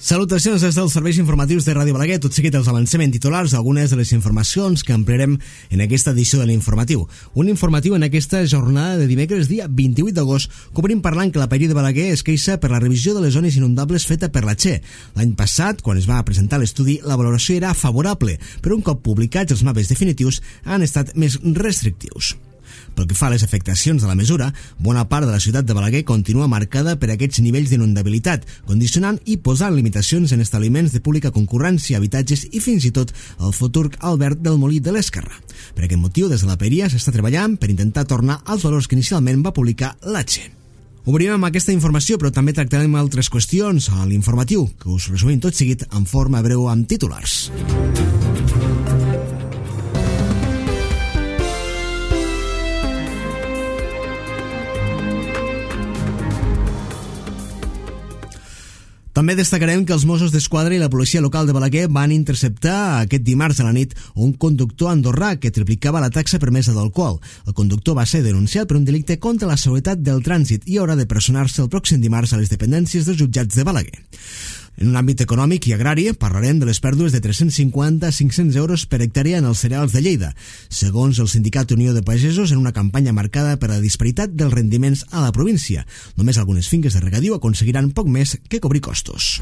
Salutacions des dels serveis informatius de Ràdio Balaguer. Tot seguit els avancem en titulars algunes de les informacions que ampliarem en aquesta edició de l'informatiu. Un informatiu en aquesta jornada de dimecres, dia 28 d'agost, que obrim parlant que la Paeria de Balaguer es queixa per la revisió de les zones inundables feta per la Che. L'any passat, quan es va presentar l'estudi, la valoració era favorable, però un cop publicats els mapes definitius han estat més restrictius. Pel que fa a les afectacions de la mesura, bona part de la ciutat de Balaguer continua marcada per aquests nivells d'inundabilitat, condicionant i posant limitacions en establiments de pública concurrència, habitatges i fins i tot el futur Albert del Molí de l'Esquerra. Per aquest motiu, des de la Paeria s'està treballant per intentar tornar als valors que inicialment va publicar la Che. Obrim amb aquesta informació, però també tractarem altres qüestions a l'informatiu, que us resumim tot seguit en forma breu amb titulars. També destacarem que els Mossos d'Esquadra i la policia local de Balaguer van interceptar aquest dimarts a la nit un conductor andorrà que triplicava la taxa permesa d'alcohol. El conductor va ser denunciat per un delicte contra la seguretat del trànsit i haurà de personar-se el pròxim dimarts a les dependències dels jutjats de Balaguer. En un àmbit econòmic i agrari, parlarem de les pèrdues de 350 a 500 euros per hectàrea en els cereals de Lleida, segons el Sindicat Unió de Pagesos, en una campanya marcada per la disparitat dels rendiments a la província. Només algunes finques de regadiu aconseguiran poc més que cobrir costos.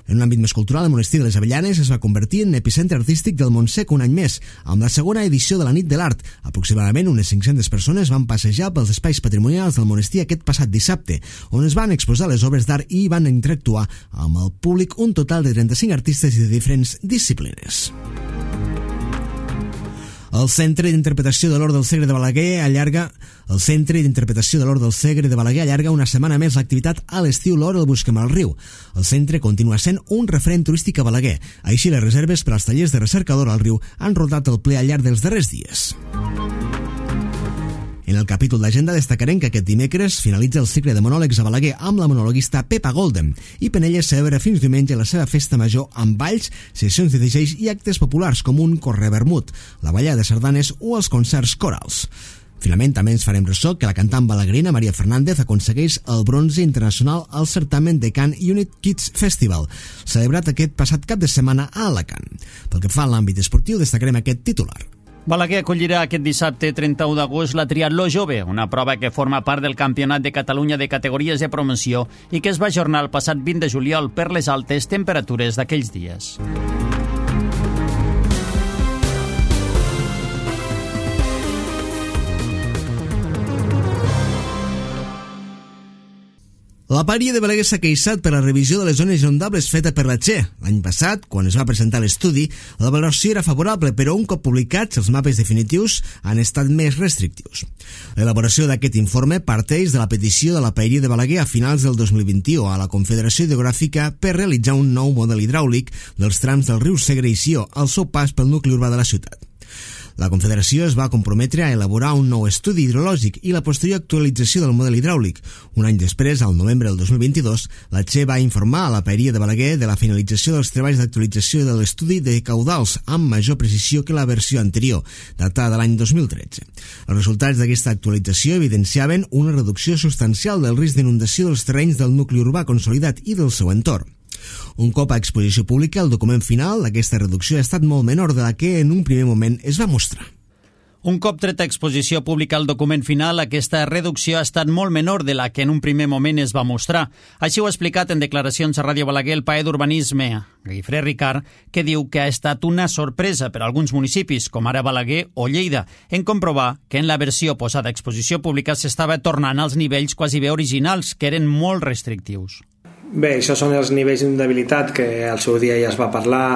En un àmbit més cultural, el Monestir de les Avellanes es va convertir en epicentre artístic del Montsec un any més, amb la segona edició de la Nit de l'Art. Aproximadament unes 500 persones van passejar pels espais patrimonials del monestir aquest passat dissabte, on es van exposar les obres d'art i van interactuar amb el públic un total de 35 artistes de diferents disciplines. El Centre d'Interpretació de l'Hort del Segre de Balaguer allarga una setmana més l'activitat a l'estiu L'Hort el Busquem al Riu. El centre continua sent un referent turístic a Balaguer. Així, les reserves per als tallers de recercador al riu han rodat el ple al llarg dels darrers dies. En el capítol d'agenda destacarem que aquest dimecres finalitza el cicle de monòlegs a Balaguer amb la monologuista Pepa Golden i Penelles celebra fins diumenge la seva festa major amb balls, sessions de DJs i actes populars com un corre vermut, la ballada de sardanes o els concerts corals. Finalment, també ens farem ressò que la cantant balaguerina Maria Fernández aconsegueix el bronze internacional al certamen de Cannes Unit Kids Festival, celebrat aquest passat cap de setmana a Alacant. Pel que fa a l'àmbit esportiu, destacarem aquest titular. Balaguer acollirà aquest dissabte 31 d'agost la Triatló Jove, una prova que forma part del Campionat de Catalunya de categories de promoció i que es va ajornar el passat 20 de juliol per les altes temperatures d'aquells dies. La Paeria de Balaguer s'ha queixat per la revisió de les zones inundables feta per la Che. L'any passat, quan es va presentar l'estudi, la valoració era favorable, però un cop publicats, els mapes definitius han estat més restrictius. L'elaboració d'aquest informe parteix de la petició de la Paeria de Balaguer a finals del 2021 a la Confederació Hidrogràfica per realitzar un nou model hidràulic dels trams del riu Segre i Sió al seu pas pel nucli urbà de la ciutat. La Confederació es va comprometre a elaborar un nou estudi hidrològic i la posterior actualització del model hidràulic. Un any després, al novembre del 2022, la Che va informar a la Paeria de Balaguer de la finalització dels treballs d'actualització de l'estudi de caudals amb major precisió que la versió anterior, datada de l'any 2013. Els resultats d'aquesta actualització evidenciaven una reducció substancial del risc d'inundació dels terrenys del nucli urbà consolidat i del seu entorn. Un cop a exposició pública, el document final d'aquesta reducció ha estat molt menor de la que en un primer moment es va mostrar. Un cop tret a exposició pública el document final, aquesta reducció ha estat molt menor de la que en un primer moment es va mostrar. Així ho ha explicat en declaracions a Ràdio Balaguer el paer d'Urbanisme, Guifré Ricard, que diu que ha estat una sorpresa per a alguns municipis, com ara Balaguer o Lleida, en comprovar que en la versió posada a exposició pública s'estava tornant als nivells quasi bé originals, que eren molt restrictius. Bé, això són els nivells d'inundabilitat que al seu dia ja es va parlar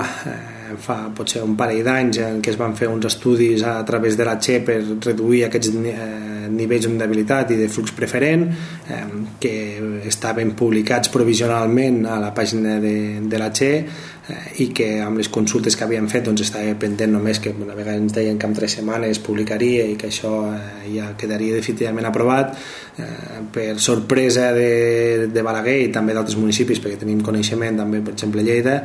fa potser un parell d'anys en què es van fer uns estudis a través de la Che per reduir aquests nivells d'inundabilitat i de flux preferent que estaven publicats provisionalment a la pàgina de la Che i que amb les consultes que havien fet doncs estava pendent només que una vegada ens deien que en 3 setmanes publicaria i que això ja quedaria definitivament aprovat. Per sorpresa de Balaguer i també d'altres municipis, perquè tenim coneixement també, per exemple, Lleida,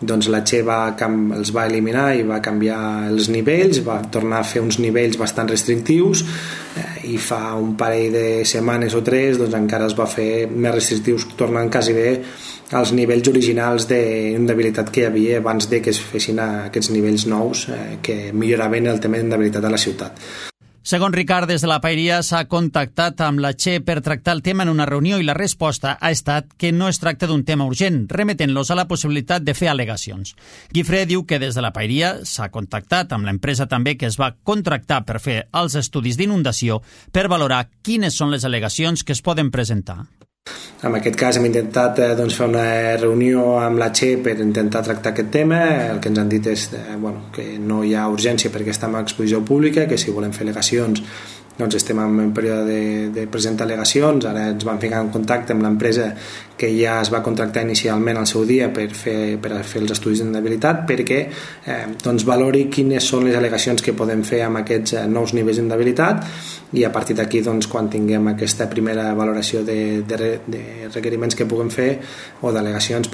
doncs la Che els va eliminar i va canviar els nivells, va tornar a fer uns nivells bastant restrictius, i fa un parell de setmanes o 3 doncs encara es va fer més restrictius, tornant quasi bé als nivells originals d'inundabilitat que hi havia abans de que es fessin aquests nivells nous que milloraven el tema d'inundabilitat a la ciutat. Segons Ricard, des de la Paeria s'ha contactat amb la Che per tractar el tema en una reunió i la resposta ha estat que no es tracta d'un tema urgent, remetent-los a la possibilitat de fer al·legacions. Guifré diu que des de la Paeria s'ha contactat amb l'empresa també que es va contractar per fer els estudis d'inundació per valorar quines són les al·legacions que es poden presentar. En aquest cas hem intentat fer una reunió amb la Che per intentar tractar aquest tema. El que ens han dit és que no hi ha urgència perquè estem a exposició pública, que si volem fer al·legacions doncs estem en període de presentar al·legacions. Ara ens vam ficar en contacte amb l'empresa que ja es va contractar inicialment al seu dia per fer els estudis d'inundabilitat perquè valori quines són les al·legacions que podem fer amb aquests nous nivells d'inundabilitat, i a partir d'aquí quan tinguem aquesta primera valoració de requeriments que puguem fer o d'al·legacions,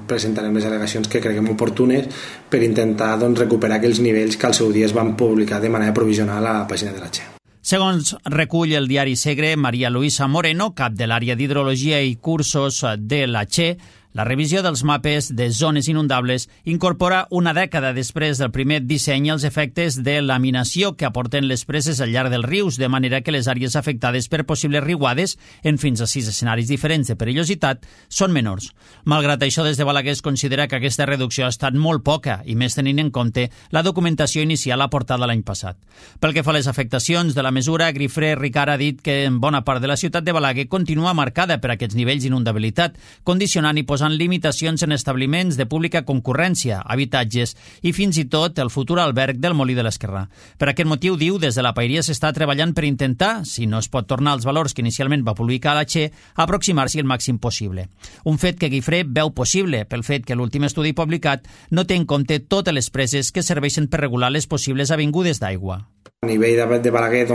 presentarem les al·legacions que creguem oportunes per intentar recuperar aquells nivells que al seu dia es van publicar de manera provisional a la pàgina de la Che. Segons recull el diari Segre, Maria Luisa Moreno, cap de l'àrea d'hidrologia i cursos de la Che, la revisió dels mapes de zones inundables incorpora una dècada després del primer disseny els efectes de laminació que aporten les preses al llarg dels rius, de manera que les àrees afectades per possibles riuades, en fins a 6 escenaris diferents de perillositat, són menors. Malgrat això, des de Balaguer es considera que aquesta reducció ha estat molt poca, i més tenint en compte la documentació inicial aportada l'any passat. Pel que fa a les afectacions de la mesura, Guifré Ricard ha dit que en bona part de la ciutat de Balaguer continua marcada per aquests nivells d'inundabilitat, condicionant i posant limitacions en establiments de pública concurrència, habitatges i fins i tot el futur alberg del Molí de l'Esquerrà. Per aquest motiu, diu, des de la Paeria s'està treballant per intentar, si no es pot tornar als valors que inicialment va publicar la Che, aproximar-s'hi el màxim possible. Un fet que Guifré veu possible pel fet que l'últim estudi publicat no té en compte totes les preses que serveixen per regular les possibles avingudes d'aigua. A nivell de Balaguer,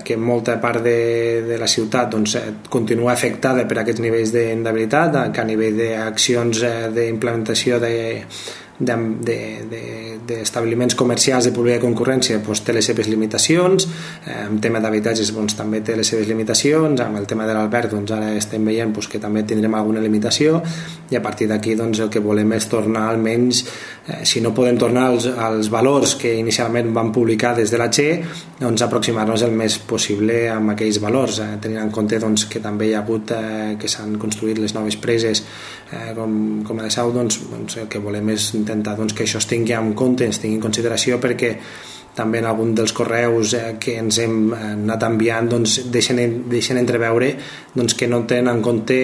que molta part de la ciutat continua afectada per aquests nivells d'inundabilitat, que a nivell d'accions d'implementació d'establiments comercials de pública concurrència té les seves limitacions, en tema d'habitatges també té les seves limitacions, amb el tema de l'alberg ara estem veient que també tindrem alguna limitació, i a partir d'aquí el que volem és tornar almenys, si no podem tornar als valors que inicialment van publicar des de la Che, aproximar-nos el més possible amb aquells valors, tenint en compte que també hi ha hagut que s'han construït les noves preses com a de Sau, el que volem és intentar que això es tingui en compte, es tingui en consideració, perquè també en algun dels correus que ens hem anat enviant deixen entreveure que no tenen en compte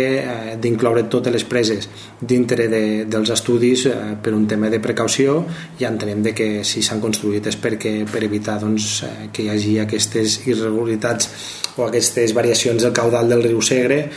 d'incloure totes les preses dintre dels estudis per un tema de precaució, i entenem que si s'han construït és per evitar que hi hagi aquestes irregularitats o aquestes variacions del caudal del riu Segre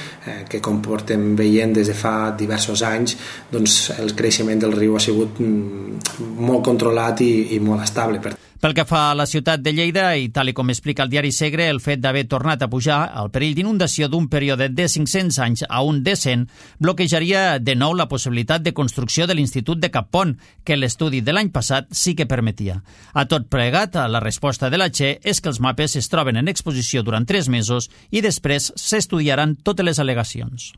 que, com portem veient des de fa diversos anys, el creixement del riu ha sigut molt controlat i molt estable. Pel que fa a la ciutat de Lleida, i tal com explica el diari Segre, el fet d'haver tornat a pujar el perill d'inundació d'un període de 500 anys a un de 100 bloquejaria de nou la possibilitat de construcció de l'Institut de Cappont, que l'estudi de l'any passat sí que permetia. A tot plegat, la resposta de la Che és que els mapes es troben en exposició durant 3 mesos i després s'estudiaran totes les al·legacions.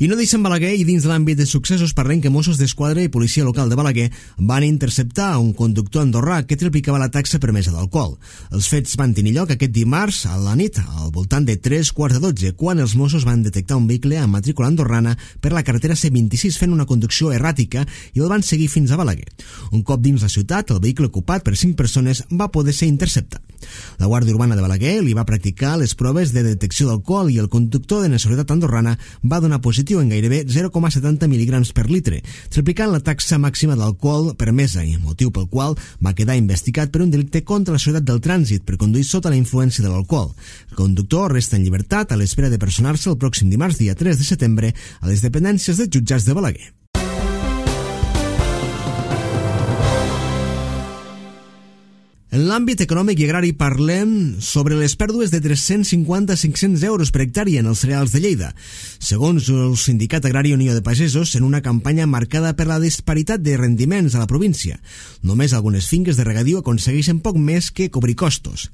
I no deixen Balaguer, i dins de l'àmbit de successos parlem que Mossos d'Esquadra i Policia Local de Balaguer van interceptar un conductor andorrà que triplicava la taxa permesa d'alcohol. Els fets van tenir lloc aquest dimarts a la nit, al voltant de 3:15, quan els Mossos van detectar un vehicle amb matrícula andorrana per la carretera C26 fent una conducció erràtica i el van seguir fins a Balaguer. Un cop dins la ciutat, el vehicle ocupat per 5 persones va poder ser interceptat. La Guàrdia Urbana de Balaguer li va practicar les proves de detecció d'alcohol i el conductor de nacionalitat andorrana va donar positiu en gairebé 0,70 mil·lígrams per litre, triplicant la taxa màxima d'alcohol permesa, i motiu pel qual va quedar investigat per un delicte contra la seguretat del trànsit per conduir sota la influència de l'alcohol. El conductor resta en llibertat a l'espera de personar-se el pròxim dimarts, dia 3 de setembre, a les dependències dels jutjats de Balaguer. En l'àmbit econòmic i agrari parlem sobre les pèrdues de 350 a 500 euros per hectàrea en els cereals de Lleida, segons el Sindicat Agrari Unió de Pagesos, en una campanya marcada per la disparitat de rendiments a la província. Només algunes finques de regadiu aconsegueixen poc més que cobrir costos.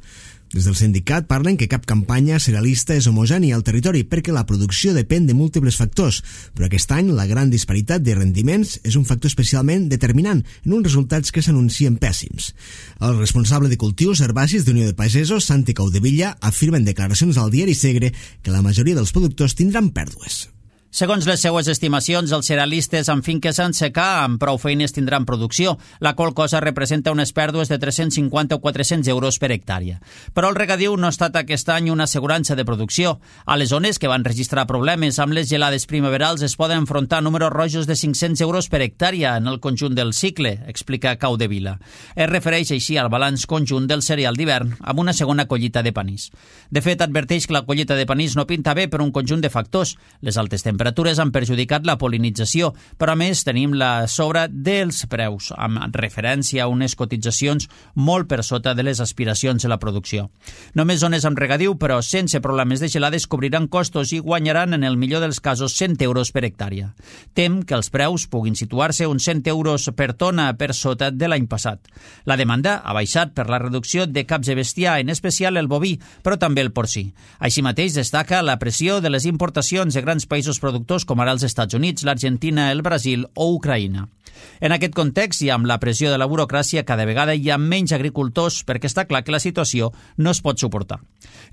Des del sindicat parlen que cap campanya cerealista és homogènia al territori perquè la producció depèn de múltiples factors, però aquest any la gran disparitat de rendiments és un factor especialment determinant en uns resultats que s'anuncien pèssims. El responsable de cultius herbacis d'Unió de Pagesos, Santi Caudevilla, afirma en declaracions al diari Segre que la majoria dels productors tindran pèrdues. Segons les seues estimacions, els cerealistes amb finques en secà amb prou feines tindran producció, la qual cosa representa unes pèrdues de 350 o 400 euros per hectàrea. Però el regadiu no ha estat aquest any una assegurança de producció. A les zones que van registrar problemes amb les gelades primaverals es poden enfrontar números rojos de 500 euros per hectàrea en el conjunt del cicle, explica Caudevilla. Es refereix així al balanç conjunt del cereal d'hivern amb una segona collita de panís. De fet, adverteix que la collita de panís no pinta bé per un conjunt de factors. Les altes temperatures han perjudicat la polinització, però a més tenim la sobra dels preus, amb referència a unes cotitzacions molt per sota de les aspiracions de la producció. Només zones amb regadiu, però sense problemes de gelades, cobriran costos i guanyaran en el millor dels casos 100 euros per hectàrea. Tem que els preus puguin situar-se uns 100 euros per tona per sota de l'any passat. La demanda ha baixat per la reducció de caps de bestiar, en especial el boví, però també el porcí. Així mateix destaca la pressió de les importacions de grans països productors com ara els Estats Units, l'Argentina, el Brasil o Ucraïna. En aquest context i amb la pressió de la burocràcia, cada vegada hi ha menys agricultors perquè està clar que la situació no es pot suportar.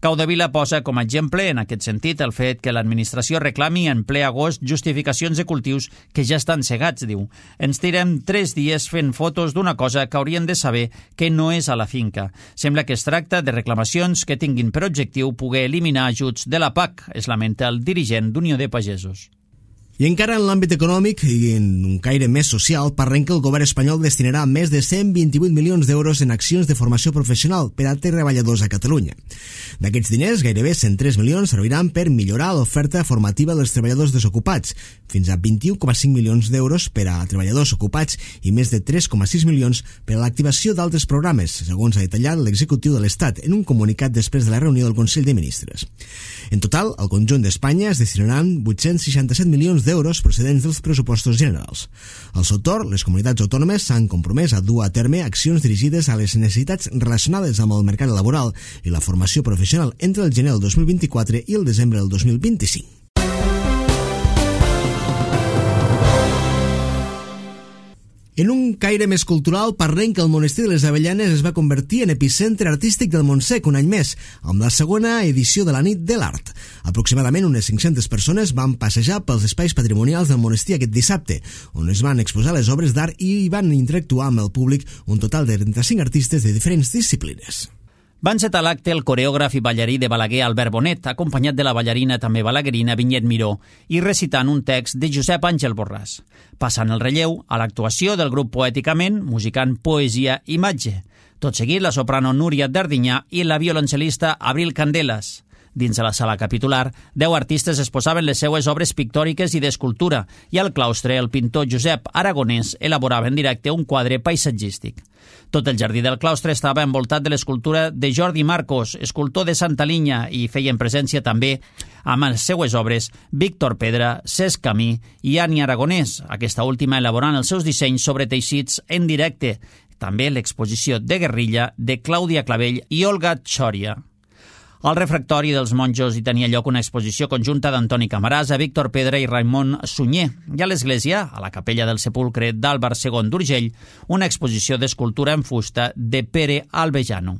Caudevilla posa com a exemple, en aquest sentit, el fet que l'administració reclami en ple agost justificacions de cultius que ja estan cegats, diu. Ens tirem 3 dies fent fotos d'una cosa que haurien de saber que no és a la finca. Sembla que es tracta de reclamacions que tinguin per objectiu poder eliminar ajuts de la PAC, es lamenta el dirigent d'Unió de Pagesos. I encara en l'àmbit econòmic i en un caire més social, parlem que el govern espanyol destinarà més de 128 milions d'euros en accions de formació professional per a treballadors a Catalunya. D'aquests diners, gairebé 103 milions serviran per millorar l'oferta formativa dels treballadors desocupats, fins a 21,5 milions d'euros per a treballadors ocupats i més de 3,6 milions per a l'activació d'altres programes, segons ha detallat l'executiu de l'Estat en un comunicat després de la reunió del Consell de Ministres. En total, al conjunt d'Espanya es destinaran 867 milions d'euros procedents dels pressupostos generals. Al seu torn, les comunitats autònomes s'han compromès a dur a terme accions dirigides a les necessitats relacionades amb el mercat laboral i la formació professional entre el gener del 2024 i el desembre del 2025. En un caire més cultural, parlem que el Monestir de les Avellanes es va convertir en epicentre artístic del Montsec un any més, amb la segona edició de la Nit de l'Art. Aproximadament unes 500 persones van passejar pels espais patrimonials del monestir aquest dissabte, on es van exposar les obres d'art i van interactuar amb el públic un total de 35 artistes de diferents disciplines. Va encetar l'acte el coreògraf i ballarí de Balaguer Albert Bonet, acompanyat de la ballarina també balaguerina Vinyet Miró, i recitant un text de Josep Àngel Borràs. Passant el relleu a l'actuació del grup Poèticament, musicant Poesia Imatge. Tot seguit, la soprano Núria Dardinyà i la violoncel·lista Abril Candelas. Dins de la sala capitular, 10 artistes exposaven les seues obres pictòriques i d'escultura, i al claustre el pintor Josep Aragonès elaborava en directe un quadre paisatgístic. Tot el jardí del claustre estava envoltat de l'escultura de Jordi Marcos, escultor de Santa Linya, i feien presència també amb les seues obres Víctor Pedra, Cesc Camí i Ani Aragonès, aquesta última elaborant els seus dissenys sobre teixits en directe. També l'exposició de Guerrilla de Clàudia Clavell i Olga Txòria. Al refractori dels monjos hi tenia lloc una exposició conjunta d'Antoni Camarasa, Víctor Pedra i Raimon Sunyer, i a l'església, a la capella del sepulcre d'Àlvar II d'Urgell, una exposició d'escultura en fusta de Pere Albejano.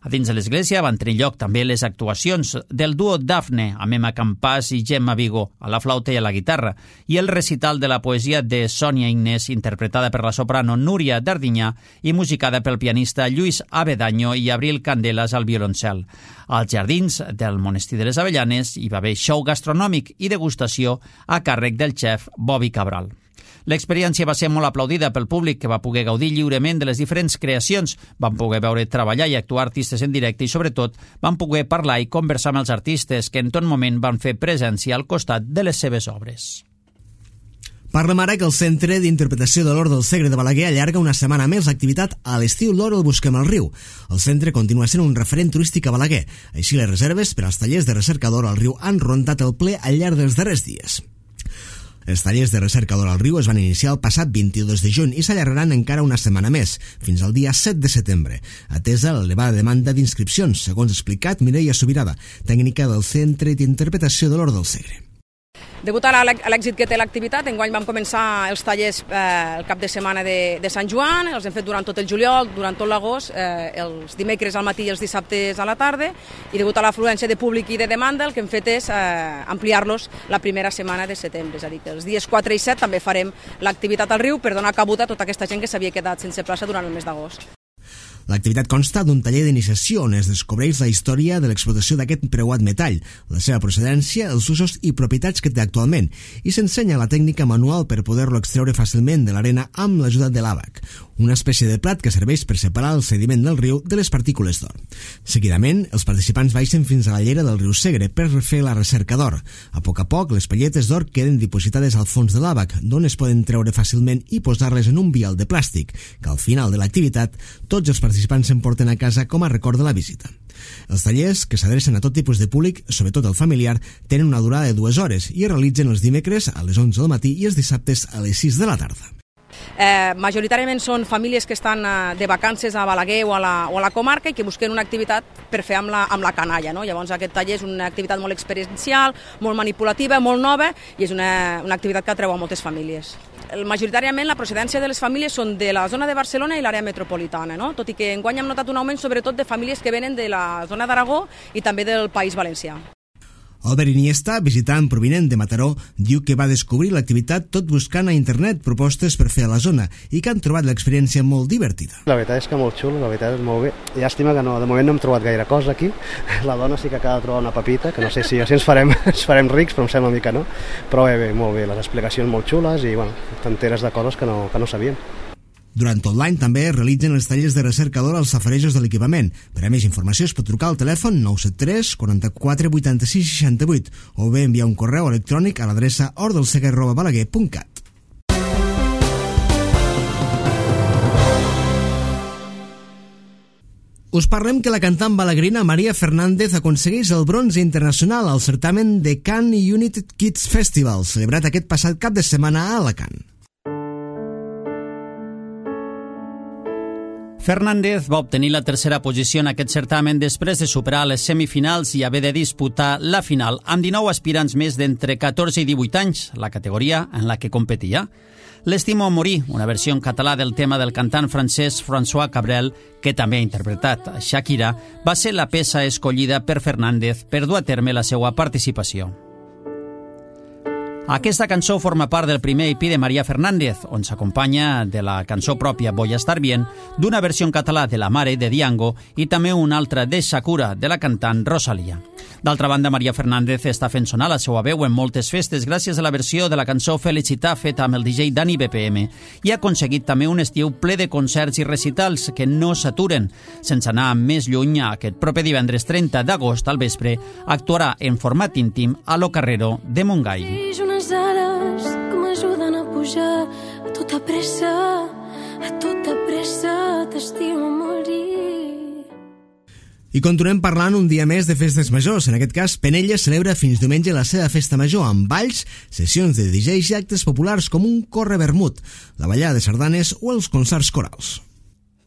A dins de l'església van tenir lloc també les actuacions del duo Dafne, amb Emma Campàs i Gemma Vigo, a la flauta i a la guitarra, i el recital de la poesia de Sònia Ignés, interpretada per la soprano Núria Dardinyà i musicada pel pianista Lluís Abedaño i Abril Candelas al violoncel. Als jardins del Monestir de les Avellanes hi va haver show gastronòmic i degustació a càrrec del xef Bobby Cabral. L'experiència va ser molt aplaudida pel públic, que va poder gaudir lliurement de les diferents creacions. Van poder veure treballar i actuar artistes en directe i, sobretot, van poder parlar i conversar amb els artistes que en tot moment van fer presència al costat de les seves obres. Parlem ara que el Centre d'Interpretació de l'Hort del Segre de Balaguer allarga una setmana més l'activitat a l'estiu L'Hort el busquem al riu. El centre continua sent un referent turístic a Balaguer. Així, les reserves per als tallers de recerca d'or al riu han rondat el ple al llarg dels darrers dies. Els tallers de recerca d'or al riu es van iniciar el passat 22 de juny i s'allargaran encara una setmana més, fins al dia 7 de setembre, atesa l'elevada demanda d'inscripcions, segons ha explicat Mireia Subirada, tècnica del Centre d'Interpretació de l'Hort del Segre. Degut a l'èxit que té l'activitat, enguany vam començar els tallers el cap de setmana de Sant Joan, els hem fet durant tot el juliol, durant tot l'agost, els dimecres al matí i els dissabtes a la tarda, i degut a l'afluència de públic i de demanda, el que hem fet és ampliar-los la primera setmana de setembre, és a dir, que els dies 4 i 7 també farem l'activitat al riu per donar cabuda a tota aquesta gent que s'havia quedat sense plaça durant el mes d'agost. L'activitat consta d'un taller d'iniciació on es descobreix la història de l'explotació d'aquest preuat metall, la seva procedència, els usos i propietats que té actualment, i s'ensenya la tècnica manual per poder-lo extreure fàcilment de l'arena amb l'ajuda de l'àbac, una espècie de plat que serveix per separar el sediment del riu de les partícules d'or. Seguidament, els participants baixen fins a la llera del riu Segre per fer la recerca d'or. A poc, les palletes d'or queden dipositades al fons de l'àbac, d'on es poden treure fàcilment i posar-les en un vial de plàstic, que al final de l'activitat tots els participants s'emporten a casa com a record de la visita. Els tallers, que s'adrecen a tot tipus de públic, sobretot el familiar, tenen una durada de 2 hores i es realitzen els dimecres a les 11 del matí i els dissabtes a les 6 de la tarda. Majoritàriament són famílies que estan de vacances a Balaguer o a la comarca i que busquen una activitat per fer amb la canalla, no? Llavors aquest taller és una activitat molt experiencial, molt manipulativa, molt nova i és una activitat que atreu a moltes famílies. Majoritàriament la procedència de les famílies són de la zona de Barcelona i l'àrea metropolitana, no? Tot i que enguany hem notat un augment sobretot de famílies que venen de la zona d'Aragó i també del País Valencià. Albert Iniesta, visitant provinent de Mataró, diu que va descobrir l'activitat tot buscant a internet propostes per fer a la zona i que han trobat l'experiència molt divertida. La veritat és que molt xulo, la veritat és molt bé. Llàstima que de moment no hem trobat gaire cosa aquí. La dona sí que acaba de trobar una pepita, que no sé si ens farem rics, però em sembla una mica no. Però bé, molt bé, les explicacions molt xules i t'enteres de coses que no sabíem. Durant tot l'any també es realitzen els tallers de recerca d'or als safarejos de l'equipament. Per a més informació es pot trucar al telèfon 973 44 86 68 o bé enviar un correu electrònic a l'adreça hortdelseguer@balaguer.cat. Us parlem que la cantant balaguerina Maria Fernández aconsegueix el bronze internacional al certamen de Cannes United Kids Festival, celebrat aquest passat cap de setmana a Alacant. Fernández va obtenir la tercera posició en aquest certamen després de superar les semifinals i haver de disputar la final amb 19 aspirants més d'entre 14 i 18 anys, la categoria en la que competia. L'Estimo a morir, una versió en català del tema del cantant francès François Cabrel, que també ha interpretat Shakira, va ser la peça escollida per Fernández per dur a terme la seva participació. Aquesta cançó forma part del primer EP de Maria Fernández, on s'acompanya de la cançó pròpia Voy a estar bien, d'una versió en català de La mare de Diango i també una altra de Sakura, de la cantant Rosalía. D'altra banda, Maria Fernández està fent sonar la seva veu en moltes festes gràcies a la versió de la cançó Felicitar feta amb el DJ Dani BPM i ha aconseguit també un estiu ple de concerts i recitals que no s'aturen. Sense anar més lluny, aquest proper divendres 30 d'agost al vespre actuarà en format íntim a Lo Carrero de Montgai. Unes ales que m'ajuden a pujar a tota pressa t'estimo a morir. I continuem parlant un dia més de festes majors. En aquest cas, Penella celebra fins diumenge la seva festa major amb balls, sessions de DJs i actes populars com un corre vermut, la ballada de sardanes o els concerts corals.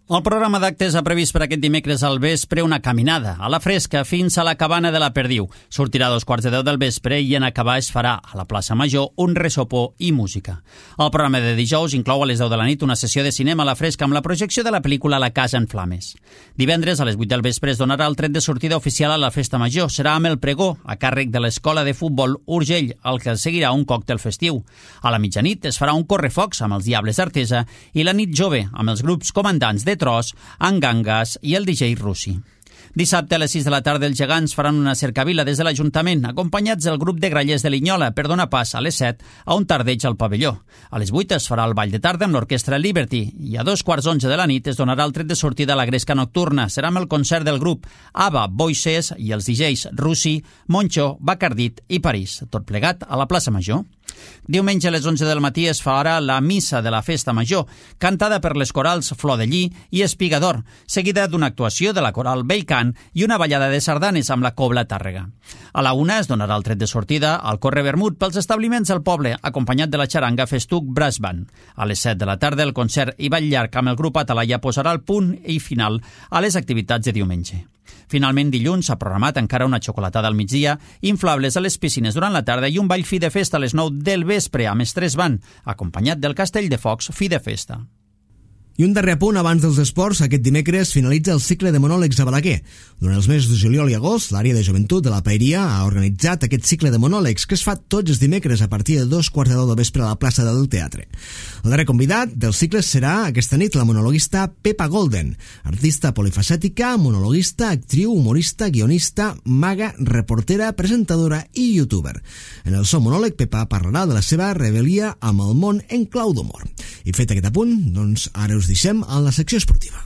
El programa d'actes ha previst per aquest dimecres al vespre una caminada a la fresca fins a la cabana de la Perdiu. Sortirà a 2:15 del vespre i en acabar es farà a la plaça Major un ressopó i música. El programa de dijous inclou a les 10 de la nit una sessió de cinema a la fresca amb la projecció de la pel·lícula La casa en flames. Divendres a les 8 del vespre es donarà el tret de sortida oficial a la festa major. Serà amb el pregó a càrrec de l'escola de futbol Urgell, al que seguirà un còctel festiu. A la mitjanit es farà un correfocs amb els Diables d'Artesa i la nit jove amb els grups comandants de Tros, Angangas i el DJ Russi. Dissabte a les 6 de la tarda els gegants faran una cercavila des de l'Ajuntament, acompanyats del grup de grallers de Linyola per donar pas a les 7 a un tardeig al pavelló. A les 8 es farà el ball de tarda amb l'orquestra Liberty i a 2:15 de la nit es donarà el tret de sortida a la gresca nocturna. Serà amb el concert del grup Ava Voices i els DJs Russi, Moncho, Bacardit i París, tot plegat a la plaça Major. Diumenge a les 11 del matí es farà la missa de la Festa Major, cantada per les corals Flor de Lli i Espigador, seguida d'una actuació de la coral Bellcant i una ballada de sardanes amb la Cobla Tàrrega. A la 1 es donarà el tret de sortida al Corre Vermut pels establiments del poble, acompanyat de la xaranga Festuc Brass Band. A les 7 de la tarda el concert i ball llarg amb el grup Atalaya posarà el punt i final a les activitats de diumenge. Finalment, dilluns s'ha programat encara una xocolatada al migdia, inflables a les piscines durant la tarda i un ball fi de festa a les 9 del vespre amb Estrès Band, acompanyat del Castell de Focs fi de festa. I un darrer apunt abans dels esports, aquest dimecres finalitza el cicle de monòlegs a Balaguer. Durant els mesos de juliol i agost, l'àrea de joventut de la Paeria ha organitzat aquest cicle de monòlegs que es fa tots els dimecres a partir de 2:15 del vespre a la plaça del Teatre. El darrer convidat del cicle serà aquesta nit la monologuista Pepa Golden, artista polifacètica, monologuista, actriu, humorista, guionista, maga, reportera, presentadora i youtuber. En el seu monòleg, Pepa parlarà de la seva rebel·lia amb el món en clau d'humor. I fet aquest apunt, doncs ara us deixem en la secció esportiva.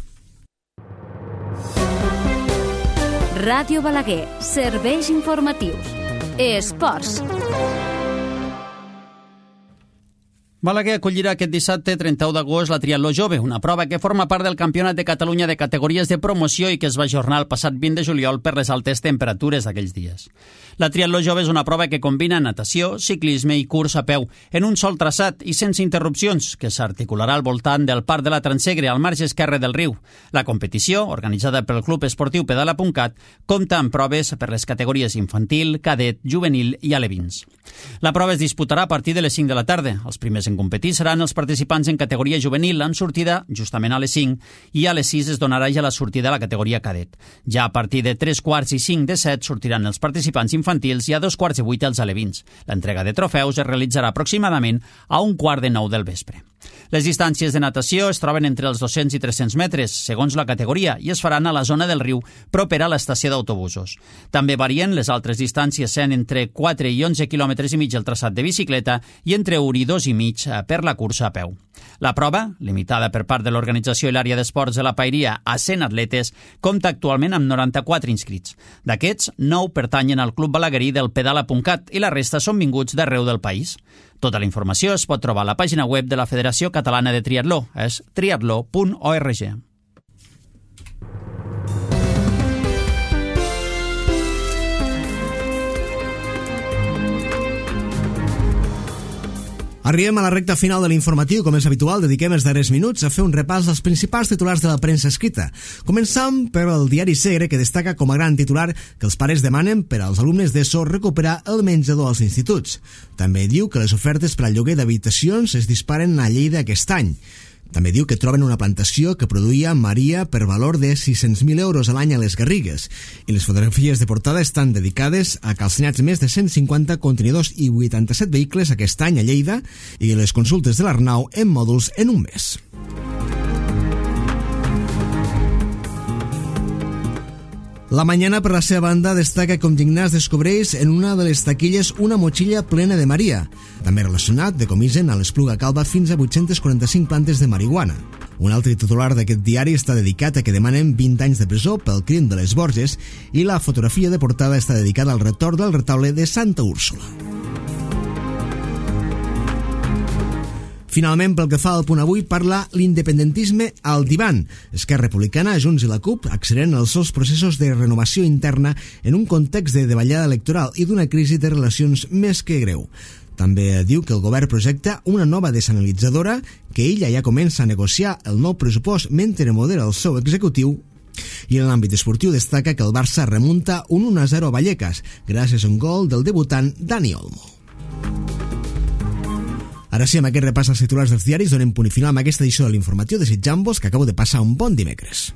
Ràdio Balaguer, serveis informatius. Esports. Balaguer acollirà aquest dissabte 31 d'agost la Triatló Jove, una prova que forma part del Campionat de Catalunya de categories de promoció i que es va ajornar el passat 20 de juliol per les altes temperatures d'aquells dies. La Triatló Jove és una prova que combina natació, ciclisme i curs a peu en un sol traçat i sense interrupcions, que s'articularà al voltant del Parc de la Transegre, al marge esquerre del riu. La competició, organitzada pel Club Esportiu Pedala.cat, compta amb proves per les categories infantil, cadet, juvenil i alevins. La prova es disputarà a partir de les 5 de la tarda. Els primers en competir seran els participants en categoria juvenil amb sortida justament a les 5 i a les 6 es donarà ja la sortida a la categoria cadet. Ja a partir de 3:15 i 5 de 7 sortiran els participants infantils i a 2:15 els alevins. L'entrega de trofeus es realitzarà aproximadament a 8:45 del vespre. Les distàncies de natació es troben entre els 200 i 300 metres, segons la categoria, i es faran a la zona del riu propera a l'estació d'autobusos. També varien les altres distàncies, sent entre 4 i 11 quilòmetres i mig el traçat de bicicleta i entre 1 i 2 i mig per la cursa a peu. La prova, limitada per part de l'organització i l'àrea d'esports de la Paeria a 100 atletes, compta actualment amb 94 inscrits. D'aquests, 9 pertanyen al Club Balaguerí del Pedala.cat i la resta són vinguts d'arreu del país. Tota la informació es pot trobar a la pàgina web de la Federació Catalana de Triatló, és triatló.org. Arribem a la recta final de l'informatiu. Com és habitual, dediquem els darrers minuts a fer un repàs dels principals titulars de la premsa escrita. Començam per el diari Segre, que destaca com a gran titular que els pares demanen per als alumnes d'ESO recuperar el menjador als instituts. També diu que les ofertes per al lloguer d'habitacions es disparen a Lleida aquest any. També diu que troben una plantació que produïa Maria per valor de 600.000 euros a l'any a les Garrigues i les fotografies de portada estan dedicades a calcinats més de 150 contenidors i 87 vehicles aquest any a Lleida i les consultes de l'Arnau en mòduls en un mes. La Mañana, per la seva banda, destaca com Gignàs descobreix en una de les taquilles una motxilla plena de Maria. També relacionat, decomisen a l'Espluga Calba fins a 845 plantes de marihuana. Un altre titular d'aquest diari està dedicat a que demanen 20 anys de presó pel crim de les Borges i la fotografia de portada està dedicada al retorn del retaule de Santa Úrsula. Finalment, pel que fa al punt avui, parla l'independentisme al divan. Esquerra Republicana, Junts i la CUP acceleren els seus processos de renovació interna en un context de davallada electoral i d'una crisi de relacions més que greu. També diu que el govern projecta una nova desalinitzadora, que ella ja comença a negociar el nou pressupost mentre modera el seu executiu. I en l'àmbit esportiu destaca que el Barça remunta un 1-0 a Vallecas, gràcies a un gol del debutant Dani Olmo. Ara sí, amb aquest repàs als titulars dels diaris, donem punt i final amb aquesta edició de l'informatiu, desitjant-vos que acabo de passar un bon dimecres.